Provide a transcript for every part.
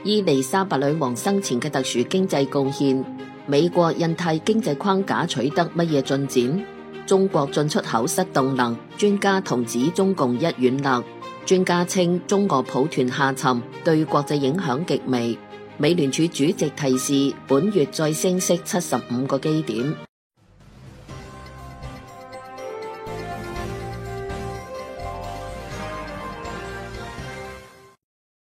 伊麗莎白女王生前嘅特殊經濟貢獻，美國印太經濟框架取得乜嘢進展？中國進出口失動能，專家同指中共一軟肋。專家稱中俄抱團下沉，對國際影響極微。美聯儲主席提示本月再升息75個基點。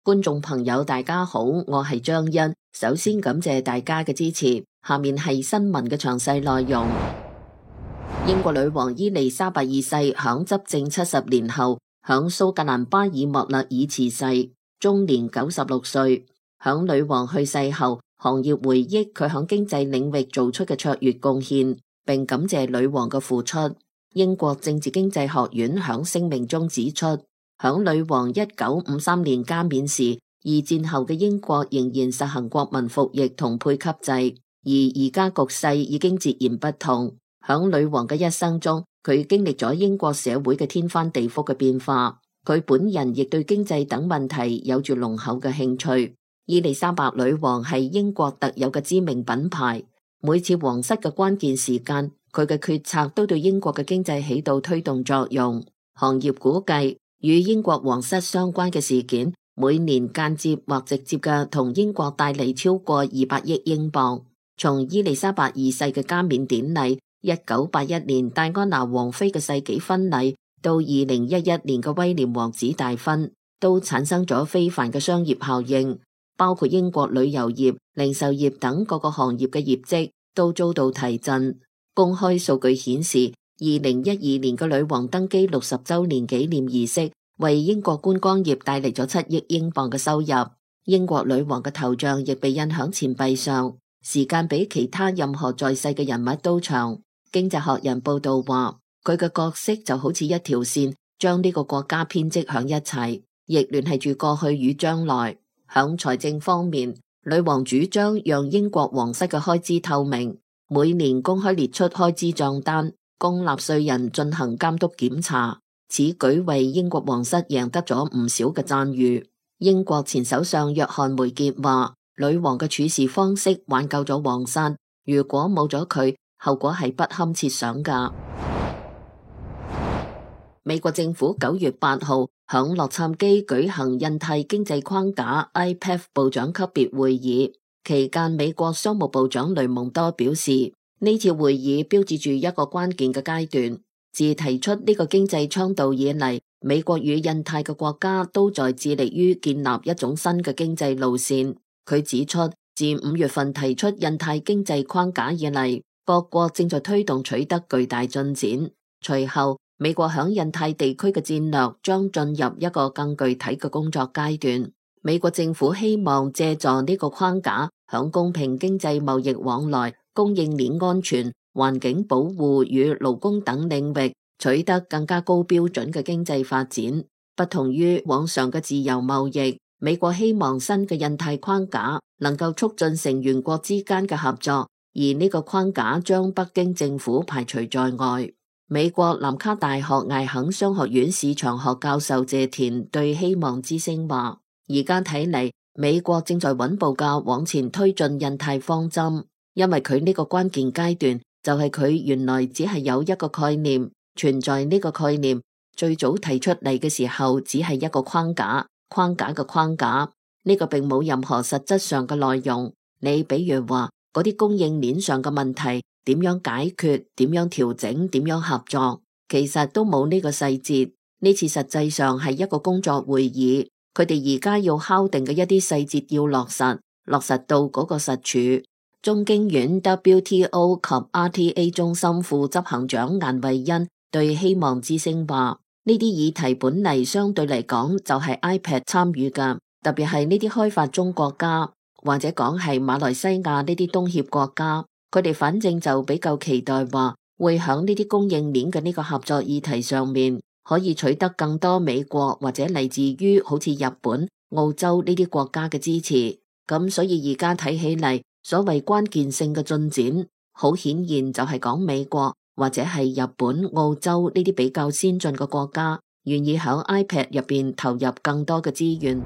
觀眾朋友大家好，我係張欣，首先感謝大家嘅支持。下面係新聞嘅詳細內容。英國女王伊麗莎白二世響執政70年後，響蘇格蘭巴爾莫勒爾辭世，終年96歲。響女王去世後，行業回憶佢響經濟領域做出嘅卓越貢獻，並感謝女王嘅付出。英國政治經濟學院響聲明中指出，響女王1953年加冕時，二戰後嘅英國仍然實行國民服役同配給制，而而家局勢已經截然不同。響女王嘅一生中，佢經歷咗英國社會嘅天翻地覆嘅變化，佢本人亦對經濟等問題有住濃厚嘅興趣。伊麗莎白女王係英國特有嘅知名品牌，每次皇室嘅關鍵時間，佢嘅決策都對英國嘅經濟起到推動作用。行業估計，與英國皇室相關嘅事件，每年間接或直接嘅同英國帶嚟超過200億英鎊。從伊麗莎白二世嘅加冕典禮、1981年戴安娜王妃嘅世紀婚禮，到2011年嘅威廉王子大婚，都產生咗非凡嘅商業效應，包括英國旅遊業、零售業等各個行業嘅業績都遭到提振。公開數據顯示，2012年嘅女王登基60週年紀念儀式，為英國觀光業帶嚟咗7億英鎊嘅收入。英國女王嘅頭像亦被印響錢幣上，時間比其他任何在世嘅人物都長。經濟學人報道話，佢嘅角色就好似一條線，將呢個國家編織響一齊，亦聯繫住過去與將來。響財政方面，女王主張讓英國皇室嘅開支透明，每年公開列出開支賬單，供納稅人進行監督檢查。此舉為英國皇室贏得咗唔少嘅讚譽。英國前首相約翰梅傑話，女王嘅處事方式挽救咗皇室，如果冇咗佢，後果係不堪設想噶。美國政府9月8號響洛杉磯舉行印太經濟框架 IPEF 部長級別會議，期間美國商務部長雷蒙多表示，呢次會議標誌住一個關鍵嘅階段。自提出呢個經濟倡導以嚟，美國與印太嘅國家都在致力於建立一種新嘅經濟路線。佢指出，自5月份提出印太經濟框架以嚟，各國正在推動取得巨大進展。隨後，美國響印太地區嘅戰略將進入一個更具體嘅工作階段。美國政府希望借助呢個框架，響公平經濟貿易往來、供應鏈安全、環境保護與勞工等領域取得更加高標準嘅經濟發展。不同於往常嘅自由貿易，美國希望新嘅印太框架能夠促進成員國之間嘅合作，而呢個框架將北京政府排除在外。美國南卡大學艾肯商學院市場學教授謝田對希望之聲話，而家睇嚟，美國正在穩步嘅往前推進印太方針，因為佢呢個關鍵階段就係佢原來只係有一個概念存在。呢個概念最早提出嚟嘅時候只係一個框架嘅框架，呢個並冇任何實質上嘅內容。你比如話嗰啲供應鏈上嘅問題點樣解決，點樣調整，點樣合作，其實都冇呢個細節。呢次實際上係一個工作會議，佢哋而家要敲定嘅一啲細節要落實到嗰個實處。中經院 WTO 及 RTA 中心副執行長顏慧欣對希望之聲話，呢啲議題本嚟相對嚟講就係 IPEF 參與㗎，特別係呢啲開發中國家，或者講係馬來西亞呢啲東協國家。佢哋反正就比較期待話，會響呢啲供應鏈嘅呢個合作議題上面，可以取得更多美國或者嚟自於好似日本、澳洲呢啲國家嘅支持。咁所以而家睇起嚟，所謂關鍵性嘅進展，好顯然就係講美國或者係日本、澳洲呢啲比較先進嘅國家，願意響 IPEF 入邊投入更多嘅資源。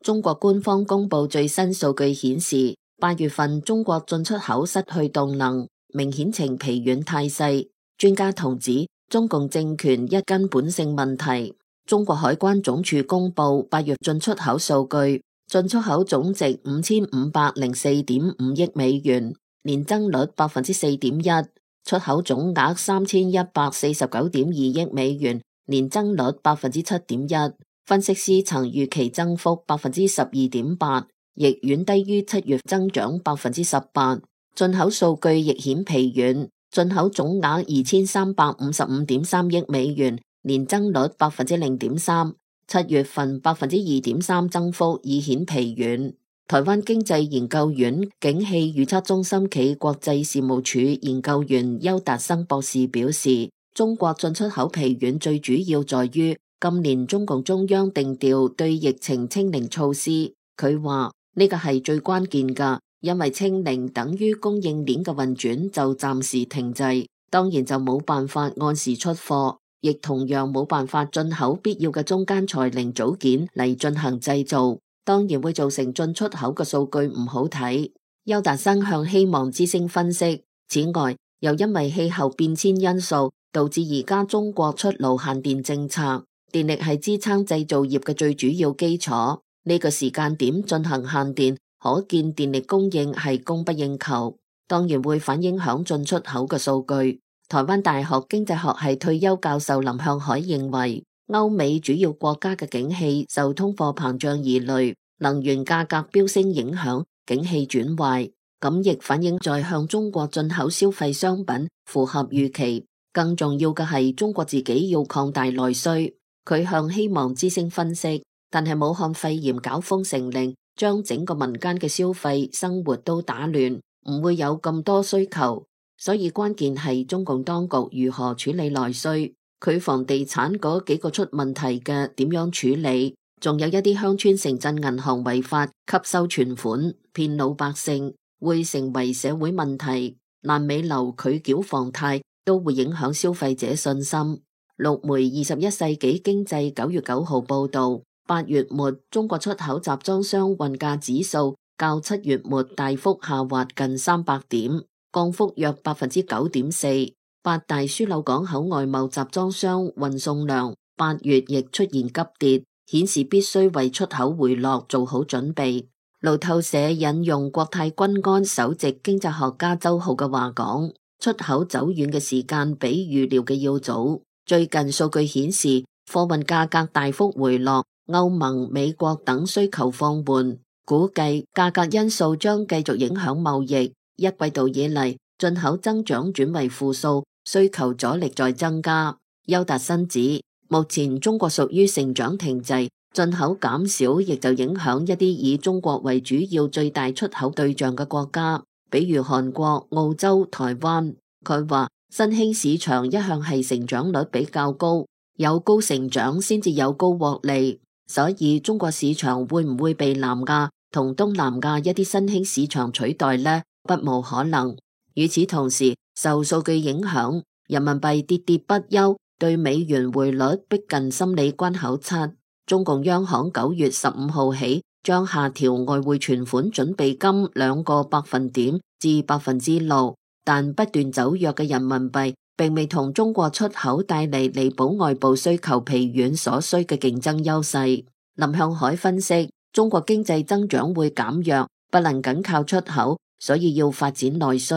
中國官方公布最新數據顯示，8月份中國進出口失去動能，明顯呈疲軟態勢。專家同指，中共政權一根本性問題。中國海關總署公布8月進出口數據，進出口總值5504.5億美元，年增率4.1%，出口總額3149.2億美元，年增率7.1%。分析師曾預期增幅12.8%，亦遠低於7月增長18%。進口數據亦顯疲軟，進口總額2355.3億美元，年增率0.3%， 7月份2.3%增幅已顯疲軟。台灣經濟研究院景氣預測中心暨國際事務處研究員邱達生博士表示，中國進出口疲軟最主要在於今年中共中央定調對疫情清零措施。佢話呢個係最關鍵㗎，因為清零等於供應鏈嘅運轉就暫時停滯，當然就冇辦法按時出貨，亦同樣冇辦法進口必要嘅中間材零組件嚟進行製造，當然會造成進出口嘅數據唔好睇。邱達生向希望之聲分析，此外又因為氣候變遷因素，導致而家中國出爐限電政策。電力係支撐製造業嘅最主要基礎，呢個時間點進行限電，可見電力供應係供不應求，當然會反映響進出口嘅數據。台灣大學經濟學系退休教授林向海認為，歐美主要國家嘅景氣受通貨膨脹而累，能源價格飆升影響景氣轉壞，咁亦反映在向中國進口消費商品符合預期。更重要嘅係中國自己要擴大內需。佢向希望之聲分析，但係武漢肺炎搞封城令，將整個民間嘅消費生活都打亂，唔會有咁多需求，所以關鍵係中共當局如何處理內需。佢房地產嗰幾個出問題嘅點樣處理，仲有一啲鄉村城鎮銀行違法吸收存款騙老百姓，會成為社會問題。爛尾樓拒繳房貸都會影響消費者信心。陸媒21世紀經濟9月9號報道，8月末中國出口集裝箱運價指數較7月末大幅下滑近300點，降幅約9.4%。八大樞紐港口外貿集裝箱運送量8月亦出現急跌，顯示必須為出口回落做好準備。路透社引用國泰君安首席經濟學家周浩嘅話講，出口走遠嘅時間比預料嘅要早。最近數據顯示，貨運價格大幅回落，歐盟、美國等需求放緩，估計價格因素將繼續影響貿易。一季度以嚟，進口增長轉為負數，需求阻力在增加。邱達生指，目前中國屬於成長停滯，進口減少亦就影響一啲以中國為主要最大出口對象嘅國家，比如韓國、澳洲、台灣。佢話，新興市場一向係成長率比較高，有高成長先至有高獲利，所以中國市場會唔會被南亞同東南亞一啲新興市場取代呢？不無可能。與此同時，受數據影響，人民幣跌跌不休，對美元匯率逼近心理關口7。中共央行9月15號起將下調外匯存款準備金2個百分點至6%。但不斷走弱嘅人民幣並未同中國出口帶嚟彌補外部需求疲軟所需嘅競爭優勢。林向海分析，中國經濟增長會減弱，不能僅靠出口，所以要發展內需。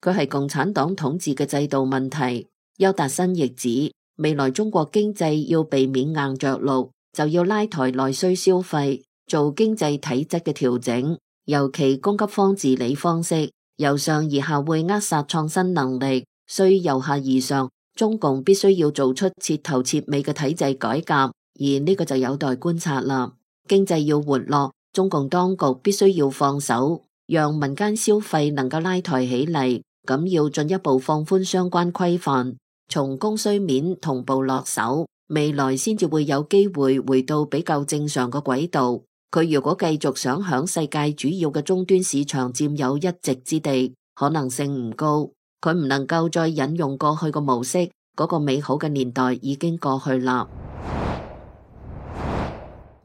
佢係共產黨統治嘅制度問題。邱達生亦指，未來中國經濟要避免硬着陸，就要拉抬內需消費，做經濟體質嘅調整，尤其供給方治理方式。由上而下會扼殺創新能力，需由下而上，中共必須要做出徹頭徹尾嘅體制改革，而呢個就有待觀察啦。經濟要活絡，中共當局必須要放手，讓民間消費能夠拉抬起嚟，咁要進一步放寬相關規範，從供需面同步落手，未來先至會有機會回到比較正常嘅軌道。佢如果繼續想響世界主要嘅終端市場佔有一席之地，可能性唔高。佢唔能夠再引用過去嘅模式，嗰個美好嘅年代已經過去啦。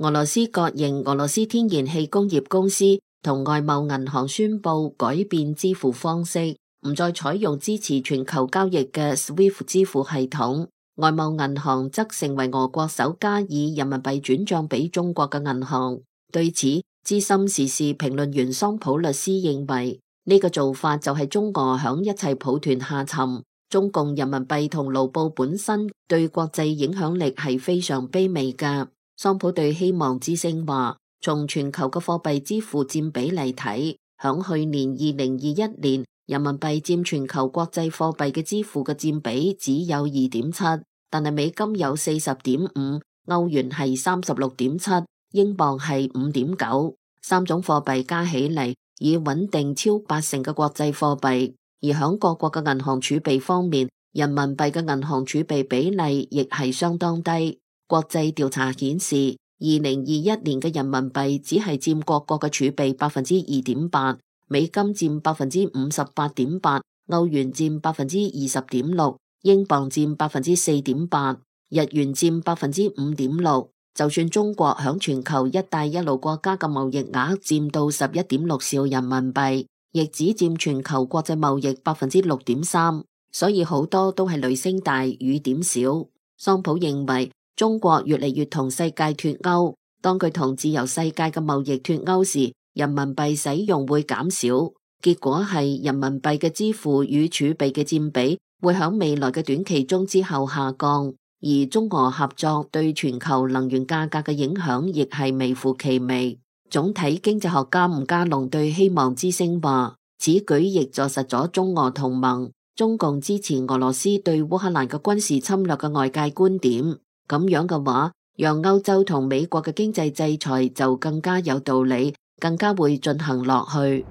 俄羅斯國營俄羅斯天然氣工業公司同外貿銀行宣布改變支付方式，唔再採用支持全球交易嘅 SWIFT 支付系統。外貿銀行則成為俄國首家以人民幣轉賬俾中國嘅銀行。對此，資深時事評論員桑普律師認為，呢個做法就係中俄響一齊抱團下沉。中共人民幣同盧布本身對國際影響力係非常卑微嘅。桑普對希望之聲話，從全球嘅貨幣支付佔比嚟睇，響去年2021年，人民幣佔全球國際貨幣嘅支付嘅佔比只有2.7%，但係美金有40.5%，歐元係36.7%，英鎊係5.9%，三種貨幣加起嚟已穩定超80%嘅國際貨幣。而響各國嘅銀行儲備方面，人民幣嘅銀行儲備比例亦係相當低。國際調查顯示，2021年嘅人民幣只係佔各國嘅儲備2.8%，美金佔58.8%，歐元佔20.6%，英鎊佔4.8%，日元佔5.6%。就算中國響全球一帶一路國家嘅貿易額佔到11.6兆人民幣，亦只佔全球國際貿易6.3%，所以好多都係雷聲大雨點小。桑普認為，中國越嚟越同世界脫鈎，當佢同自由世界嘅貿易脫鈎時，人民幣使用會減少，結果係人民幣嘅支付與儲備嘅佔比會響未來嘅短期中之後下降，而中俄合作對全球能源價格嘅影響亦係微乎其微。總體經濟學家吳家龍對希望之聲話，此舉亦坐實咗中俄同盟、中共支持俄羅斯對烏克蘭嘅軍事侵略嘅外界觀點。咁樣嘅話，讓歐洲同美國嘅經濟制裁就更加有道理，更加會進行落去。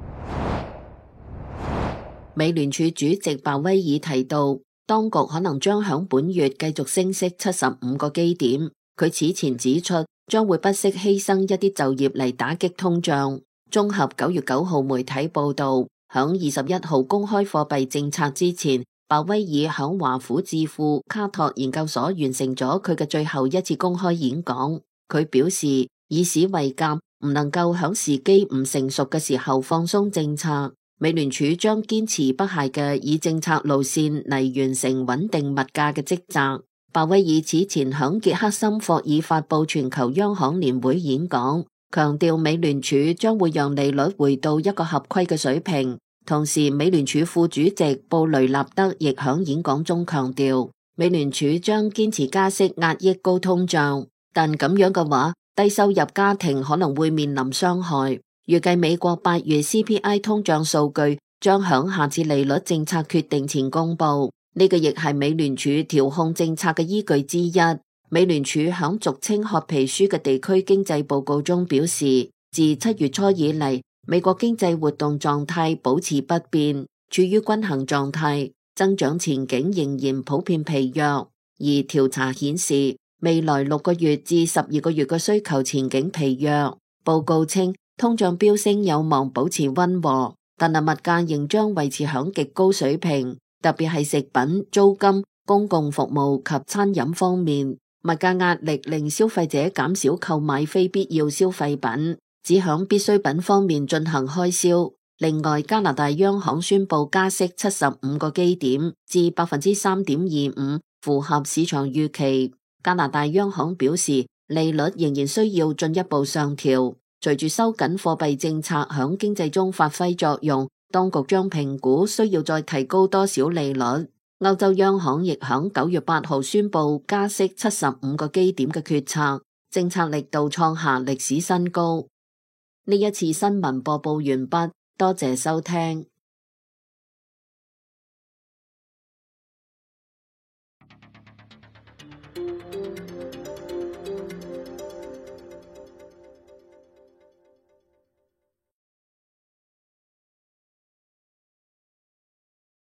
美聯儲主席鮑威爾提到，當局可能將響本月繼續升息75個基點。佢此前指出，將會不惜犧牲一啲就業嚟打擊通脹。綜合9月9號媒體報道，響21號公開貨幣政策之前，鮑威爾響華府智庫卡托研究所完成咗佢嘅最後一次公開演講。佢表示，以史為鑑，唔能夠響時機唔成熟嘅時候放鬆政策。美聯儲將堅持不懈嘅以政策路線嚟完成穩定物價嘅職責。鮑威爾此前響傑克森霍爾發佈全球央行年會演講，強調美聯儲將會讓利率回到一個合規嘅水平。同時，美聯儲副主席布雷納德亦響演講中強調，美聯儲將堅持加息壓抑高通脹，但咁樣嘅話，低收入家庭可能會面臨傷害。預計美國8月 CPI 通脹數據將響下次利率政策決定前公布，呢個亦係美聯儲調控政策嘅依據之一。美聯儲響俗稱褐皮書嘅地區經濟報告中表示，自7月初以嚟，美國經濟活動狀態保持不變，處於均衡狀態，增長前景仍然普遍疲弱。而調查顯示，未來6個月至12個月嘅需求前景疲弱。報告稱，通脹飆升有望保持溫和，但係物價仍將維持響極高水平，特別係食品、租金、公共服務及餐飲方面，物價壓力令消費者減少購買非必要消費品，只響必需品方面進行開銷。另外，加拿大央行宣布加息75個基點至 3.25%， 符合市場預期。加拿大央行表示，利率仍然需要進一步上調。隨住收緊貨幣政策響經濟中發揮作用，當局將評估需要再提高多少利率。歐洲央行亦響9月8號宣布加息75個基點嘅決策，政策力度創下歷史新高。呢一次新聞播報完畢，多謝收聽。